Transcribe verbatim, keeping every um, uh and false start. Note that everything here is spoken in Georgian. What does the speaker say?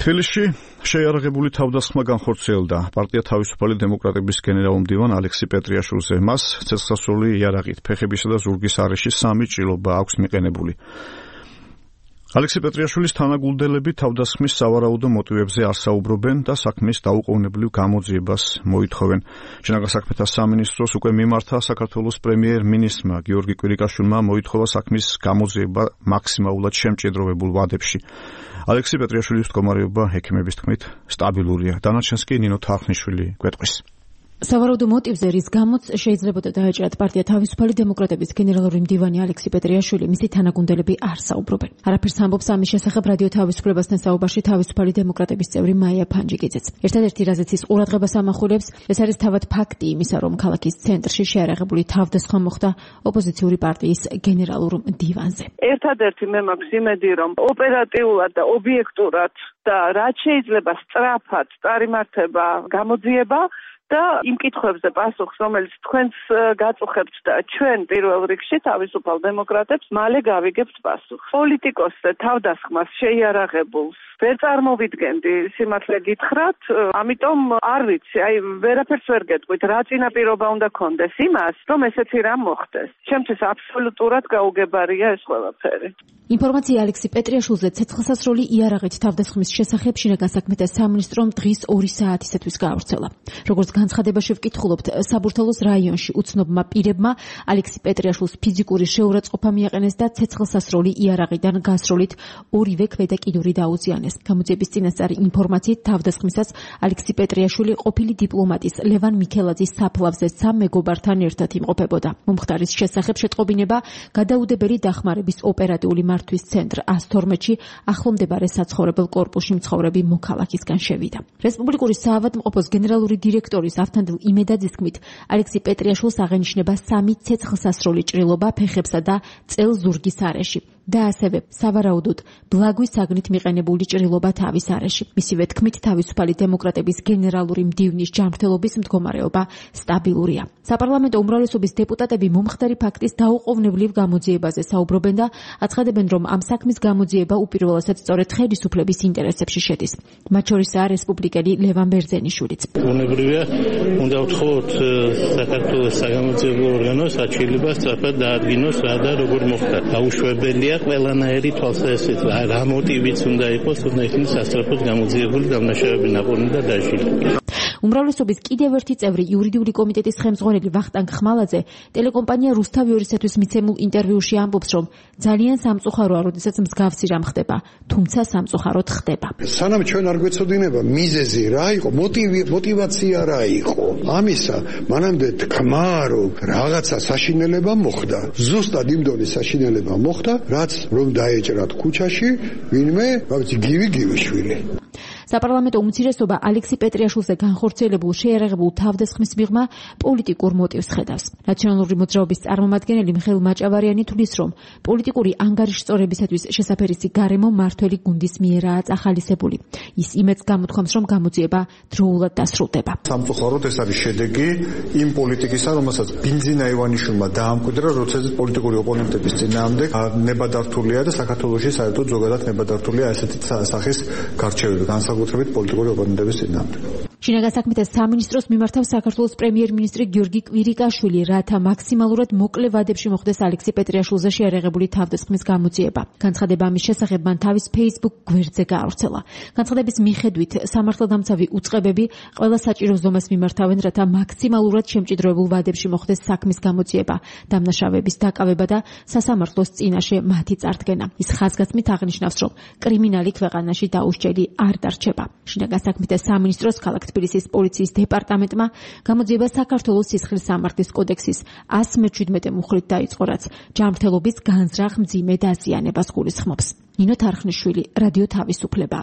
თბილისში შეიარაღებული თავდასხმა განხორციელდა პარტია თავისუფალი დემოკრატების გენერალ-მდივან ალექსი პეტრიაშვილზე. მას ცეცხლსასროლი იარაღით, ფეხებისა და ზურგის არეში სამი ჭრილობა აქვს მიყენებული. ალექსი პეტრიაშვილის თანაგულდელები თავდასხმის სავარაუდო მოტივებზე არ საუბრობენ და საქმის დაუყოვნებლივ გამოძიებას მოითხოვენ. შინაგან საქმეთა სამინისტროს უკვე მიმართა საქართველოს პრემიერ-მინისტრმა გიორგი კვირიკაშვილმა მოითხოვა საქმის გამოძიება მაქსიმალურად შემჭიდროვებულ ვადებში. ალექსი პეტრიაშვილის მდგომარეობა ექიმების თქმით სტაბილურია. დანარჩენს კი ნინო თარხნიშვილი გვეტყვის. სავარაუდო მოტივზე, რის გამოც შეიძლებოდა დაეჭრათ პარტია თავისუფალი დემოკრატების გენერალური მდივანი ალექსი პეტრიაშვილი, მისი თანაგუნდელები არ საუბრობენ. არაფერს ამბობს ამის შესახებ რადიო თავისუფლებასთან საუბარში თავისუფალი დემოკრატების წევრი მაია ფანჯიკიძეც. ერთადერთი რაზეც ის ყურადღებას ამახვილებს, ეს არის თავად ფაქტი იმისა, რომ ქალაქის ცენტრში შეიარაღებული თავდასხმა მოხდა ოპოზიციური პარტიის გენერალურ მდივანზე. ერთადერთი მე მაქვს იმედი, რომ ოპერატიულად და ობიექტურად და რაც შეიძლება სწრაფად წარიმართება გამოძიება და იმ კითხვებზე პასუხს, რომელიც თქვენს გაწუხებთ და ჩვენ პირველ რიგში თავისუფალ დემოკრატებს მალე გავიგებთ პასუხს. პოლიტიკოსზე თავდასხმას შეიარაღებულს ვერ წარმოვიდგენდი, სიმართლე გითხრათ, ამიტომ არ ვიცი, აი ვერაფერს ვერ გეტყვით, რა წინაპირობა უნდა კონდეს იმას, რომ ესეთი რამ მოხდეს. ჩემთვის აბსოლუტურად გაუგებარია ეს ყველაფერი. ინფორმაცია ალექსი პეტრიაშვილზე ცეცხლსასროლი იარაღით თავდასხმის შესახებ შინაგან საქმეთა სამინისტრომ დღის ორი საათისათვის გაავრცელა. როგორც განცხადებაში ვკითხულობთ, საბურთალოს რაიონში უცნობმა პირებმა ალექსი პეტრიაშვილს ფიზიკური შეურაცხყოფა მიაყენეს და ცეცხლსასროლი იარაღიდან გასროლით ორივე ქვედა-კიდური დაუზიანეს. გამოძიების წინასწარი ინფორმაციით თავდასხმისას ალექსი პეტრიაშვილი ყოფილი დიპლომატის ლევან მიქელაძის საფლავზე სამ მეგობართან ერთად იმყოფებოდა. მომხდარის შესახებ შეტყობინება გადაუდებელი დახმარების ოპერატიული მართვის ცენტრ ასთორმეთში ახლომდებარე საცხოვრებელ კორპუსში მცხოვრები მოქალაქისგან შევიდა. რესპუბლიკური საავადმყოფოს გენერალური დირექტორის ავთანდილ იმედაძის თქმით, ალექსი პეტრიაშვილს აღენიშნება სამი ცეცხლსასროლი ჭრილობა ფეხებსა და წელ-ზურგის არეში და ასევე სავარაუდოდ ბლაგვის საგნით მიყენებული ჭრილობა თავის არეში. მისივე თქმით, თავისუფალი დემოკრატების გენერალური მდივნის ჯანმრთელობის მდგომარეობა სტაბილურია. საპარლამენტო უმრავლესობის დეპუტატები მომხდარი ფაქტის დაუყოვნებლივ გამოძიებაზე საუბრობენ და აცხადებენ, რომ ამ საქმის გამოძიება უპირველესად სწორედ ხელისუფლების ინტერესებში შედის. მათ შორისაა რესპუბლიკელი ლევან ბერძენიშვილიც. ბუნებრივია, უნდა ვთხოვოთ საქართველოს საგამოძიებო ორგანოს აჩვენება სწრაფად დაადგინოს რა და როგორ მოხდა. დაუშვებელია ყველანაირი თვალსაზრისით, რა მოტივიც უნდა იყოს, უნდა იქნეს სასწრაფოდ გამოძიებული დამნაშავეები ნაპოვნი და დაჟილი. უმრავლესობის კიდევ ერთი წევრი იურიდიული კომიტეტის ხელმძღვანელი ვახტანგ ხმალაძე ტელეკომპანია რუსთავი ორისათვის მიცემულ ინტერვიუში ამბობს, რომ ძალიან სამწუხაროა, როდესაც მსგავსი რამ ხდება, თუმცა სამწუხაროდ ხდება. სანამ ჩვენ არ გვეცოდინება მიზეზი რა იყო, მოტივი, მოტივაცია რა იყო. ამისა მანამდე თქმა, რომ რაღაცა საშინელება მოხდა. ზუსტად იმ დონის საშინელება მოხდა, რაც რომ დაეჭრათ ქუჩაში ვინმე, რა ვიცი, გივი გივიშვილი. საპარლამენტო უმცირესობა ალექსი პეტრიაშვილზე განხორციელებულ შეიარაღებულ თავდასხმის მიღმა პოლიტიკურ მოტივს ხედავს. ნაციონალური მოძრაობის წარმომადგენელი მიხეილ მაჭავარიანი თვლის, რომ პოლიტიკური ანგარიშწორებისათვის შესაფერისი გარემო მართველი გუნდის მიერაა წახალისებული. ის იმედს გამოთქვამს, რომ გამოძიება დროულად დასრულდება. სამწუხაროდ ეს არის შედეგი იმ პოლიტიკისა, რომელსაც ბინძინა ივანიშვილმა დაამკვიდრა, როდესაც პოლიტიკური ოპონენტების წინააღმდეგ ნებადართულია და საქართველოში საერთოდ ზოგადად ნებადართულია ესეთი სახის გარჩევები. განსაკუთრებით პოლიტიკური ოპონენტების წინააღმდეგ. შინაგან საქმეთა სამინისტროს მიმართავს საქართველოს პრემიერ-მინისტრი გიორგი კვირიკაშვილი, რათა მაქსიმალურად მოკლე ვადებში მოხდეს ალექსი პეტრიაშვილზე შეიარაღებული თავდასხმის გამოძიება. განცხადება ამის შესახებ მან თავის Facebook გვერდზე გაავრცელა. განცხადების მიხედვით, სამართალდამცავი უწყებები ყველა საჭირო ზომას მიმართავენ, რათა მაქსიმალურად შემჭიდროებულ ვადებში მოხდეს საქმის გამოძიება, დამნაშავეების დაკავება და სასამართლოს წინაშე მათი წარდგენა. ის ხაზგასმით აღნიშნავს, რომ კრიმინალი ქვეყანაში დაუსჯელი არ დარჩება. შინაგან საქმეთა სამინისტროს ქალაქ თბილისის პოლიციის დეპარტამენტმა გამოძიება საქართველოს სისხლის სამართლის კოდექსის ას მეჩვიდმეტე მუხლით დაიწყო, რაც ჯანმრთელობის განზრახ მძიმე დაზიანებას გულისხმობს. ნინო თარხნიშვილი, რადიო თავისუფლება.